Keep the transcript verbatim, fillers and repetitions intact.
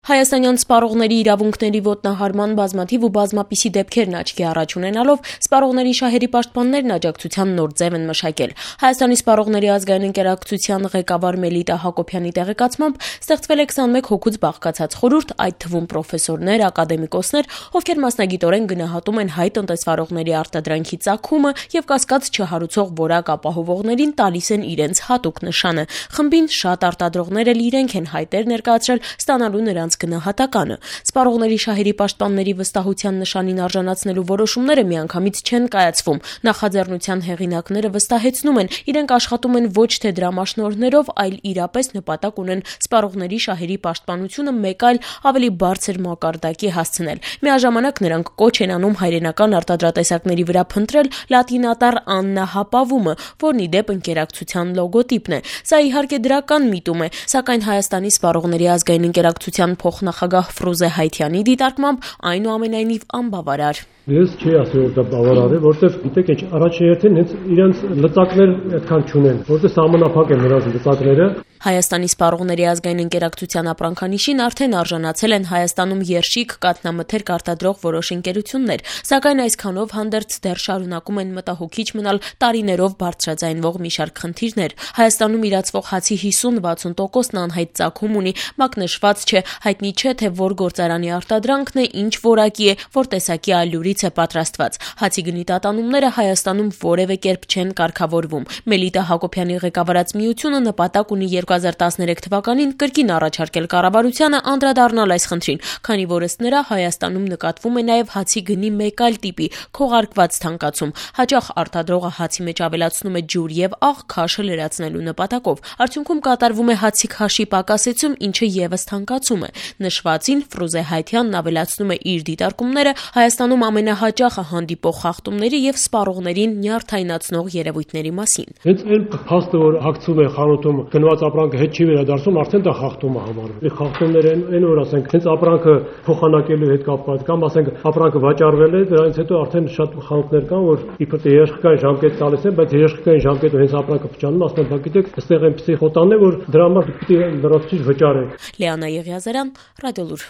Հայաստանյան սպառողների իրավունքների ոտնահարման բազմաթիվ ու բազմապիսի դեպքերն աչքի առաջ ունենալով սպառողների շահերի պաշտպաններն աջակցության նոր ձև են մշակել։ Հայաստանի սպառողների ազգային ընկերակցության ղեկավար Մելիտա Հակոբյանի տեղեկացմամբ ստեղծվել է քսանմեկ հոգուց բաղկացած խորհուրդ, այդ թվում պրոֆեսորներ, ակադեմիկոսներ, ովքեր մասնագիտորեն գնահատում են հայ տնտեսվարողների արտադրանքի ծագումը եւ կասկած չհարուցող որակ ապահովողներին տալիս են իրենց հատուկ նշանը։ Խմբին շատ արտադրողներ էլ իրենք են հայտեր ներկայացրել ստանալու նրանց գնահատականը։ Սպառողների շահերի պաշտպանների վստահության նշանին արժանացնելու որոշումները միանգամից չեն կայացվում։ Նախաձեռնության հեղինակները վստահեցնում են, իրենք աշխատում են ոչ թե դրամաշնորհներով, այլ իրապես նպատակ ունեն սպառողների շահերի պաշտպանությունը մեկ այլ ավելի բարձր մակարդակի հասցնել։ Միաժամանակ նրանք կոչ են անում հայրենական արտադրատեսակների վրա փնտրել լատինատառ աննահապավումը, որն ի դեպ ընկերակցության լոգոտիպն է։ Սա իհարկե դրական միտում է, սակայն Հայաստանի սպառողների ազգային ընկերակցության փոխնախագահ Ֆրուզե Հայթյանի դիտարկմամբ այնուամենայնիվ անբավարար։ Ես չի ասել, որ դա բավարար է, որտեղ գիտեք, ինչ առաջին հերթին հենց իրենց լծակներ այդքան չունեն, որտեղ սահմանափակ են նրանց լծակները։ Հայաստանի սպառողների ազգային ընկերակցության ապրանքանիշին արդեն արժանացել են Հայաստանում երշիկ կաթնամթերք արտադրող որոշ ընկերություններ, սակայն այսքանով հանդերձ դեռ շարունակում են մտահոգիչ մնալ տարիներով բարձրաձայնվող մի շարք խնդիրներ։ Հայաստանում իրացվող հացի հիսուն-վաթսուն տոկոսն անհայտ ծագում ունի, մակնշված չէ, հայտնի չէ, թե որ գործարանի արտադրանքն է, ինչ որակի է, որ տեսակի ալյուրից է պատրաստված։ Հացի գնի տատանումները Հայաստանում որևէ կերպ չեն կարգավորվում։ Մելիտա Հակոբյանի ղեկավարած միությունը նպատակ ունի երկու հազար տասներեք թվականին կրկին առաջարկել կառավարությանը անդրադառնալ այս խնդրին, քանի որ ըստ նրա Հայաստանում նկատվում է նաև հացի գնի մեկ այլ տիպի՝ քողարկված թանկացում։ Հաճախ արտադրողը հացի մեջ ավելացնում է ջուր եւ աղ քաշը լրացնելու նպատակով։ Արդյունքում կատարվում է հացի քաշի պակասեցում, ինչը եւս թանկացում է։ Նշվածին Ֆրուզե Հայթյանն ավելացնում է իր դիտարկումները Հայաստանում ամենահաճախը հանդիպող խախտումների եւ սպառողներին նյարդայնացնող երևույթների մասին։ Հենց այն փաստը, որ հագցում է խանութում գնված ապրանքը հետ չի վերադարձում, արդեն դա խախտում է համարվում։ Այդ խախտումները այն որ ասենք հենց ապրանքը փոխանակելու հետ կապված կամ ասենք ապրանքը վաճառվել է, դրանից հետո արդեն շատ խանութներ կան, որ իբր թե երաշխիքային ժամկետ տալիս են, բայց երաշխիքային ժամկետը հենց ապրանքը փչանում, ասում են, գիտեք, այստեղ այնպեսի խոտան է, որ դրա համար պիտի լրացուցիչ վճարեք։ Լիանա Եղիազարյան, Ռադիոլուր։